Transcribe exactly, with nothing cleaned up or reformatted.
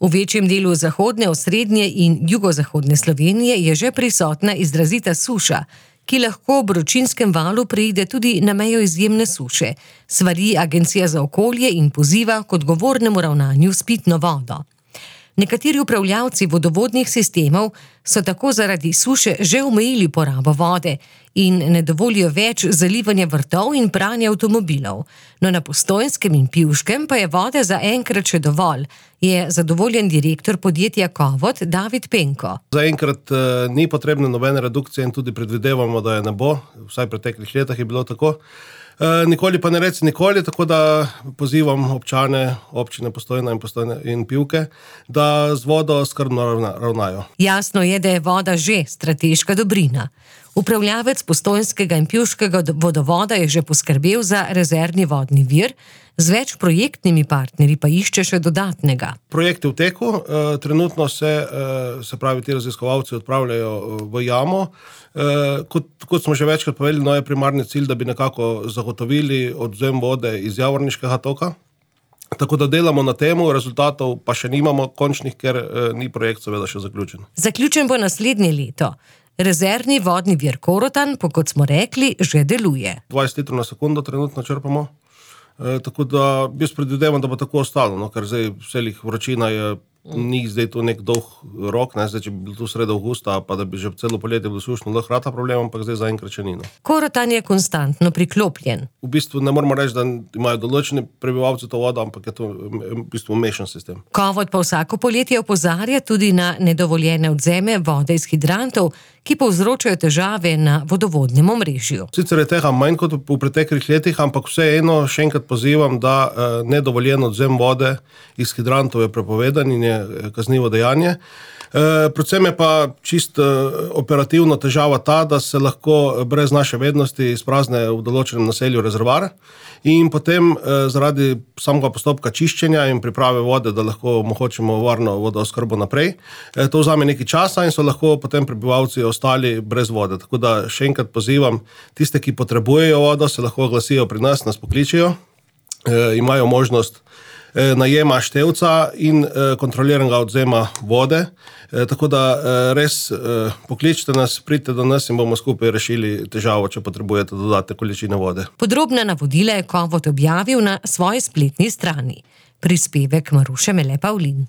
V večjem delu zahodne, osrednje in jugozahodne Slovenije je že prisotna izrazita suša, ki lahko ob vročinskem valu preide tudi na mejo izjemne suše, svari Agencija za okolje in poziva k odgovornemu ravnanju s pitno vodo. Nekateri upravljavci vodovodnih sistemov so tako zaradi suše že omejili porabo vode in ne dovolijo več zalivanja vrtov in pranja avtomobilov. No, na Postojnskem in Pivškem pa je vode za enkrat še dovolj, je zadovoljen direktor podjetja Kovot David Penko. Zaenkrat eh, ni potrebne nobene redukcije in tudi predvidevamo, da je ne bo, vsaj v preteklih letih je bilo tako. E, nikoli pa ne reci nikoli, tako da pozivam občane, občine Postojna in Postojne in Pivke, da z vodo skrbno ravna, ravnajo. Jasno je, da je voda že strateška dobrina. Upravljavec Postojnskega in Pivškega vodovoda je že poskrbel za rezervni vodni vir, z več projektnimi partnerji pa išče še dodatnega. Projekt je v teku, e, trenutno se, e, se pravi, ti raziskovalci odpravljajo v jamo. E, kot, kot smo že večkrat povedali, no je primarni cilj, da bi nekako zagotovili odvzem vode iz Javorniškega toka. Tako da delamo na temu, rezultatov pa še nimamo končnih, ker e, ni projekt seveda še zaključen. Zaključen bo naslednje leto. Rezervni vodni vir Korotan, pa kot smo rekli, že deluje. dvajset litrov na sekundo trenutno črpamo. E, tako da jaz predvidevam, da bo tako ostalo, no, ker zdaj vselih vročina je, ni zdaj tu nek dolg rok, ne, zdaj, če bi bil tu sredi avgusta, pa da bi že celo poletje bilo sušno, lahko rata problem, ampak zdaj zaenkrat še ni. No. Korotan je konstantno priklopljen. V bistvu ne moramo reči, da imajo določeni prebivalci to vodo, ampak je to v bistvu mešan sistem. Kovot pa vsako poletje opozarja tudi na nedovoljene odvzeme vode iz hidrantov, ki povzročajo težave na vodovodnem omrežju. Sicer je tega manj kot v preteklih letih, ampak vseeno še enkrat pozivam, da eh, nedovoljen odvzem vode iz hidrantov je prepovedan in je kaznivo dejanje. E, predvsem je pa čist e, operativno težava ta, da se lahko brez naše vednosti izprazne v določenem naselju rezervoar in potem e, zaradi samega postopka čiščenja in priprave vode, da lahko omogočimo varno vodooskrbo naprej, e, to vzame nekaj časa in so lahko potem prebivalci ostali brez vode. Tako da še enkrat pozivam tiste, ki potrebujejo vodo, se lahko oglasijo pri nas, nas pokličijo, e, imajo možnost najema števca in kontroliranega odvzema vode. Tako da res pokličite nas, pridite do nas in bomo skupaj rešili težavo, če potrebujete dodatne količine vode. Podrobna navodila je Kovot objavil na svoji spletni strani. Prispevek Maruše Mele Pavlin.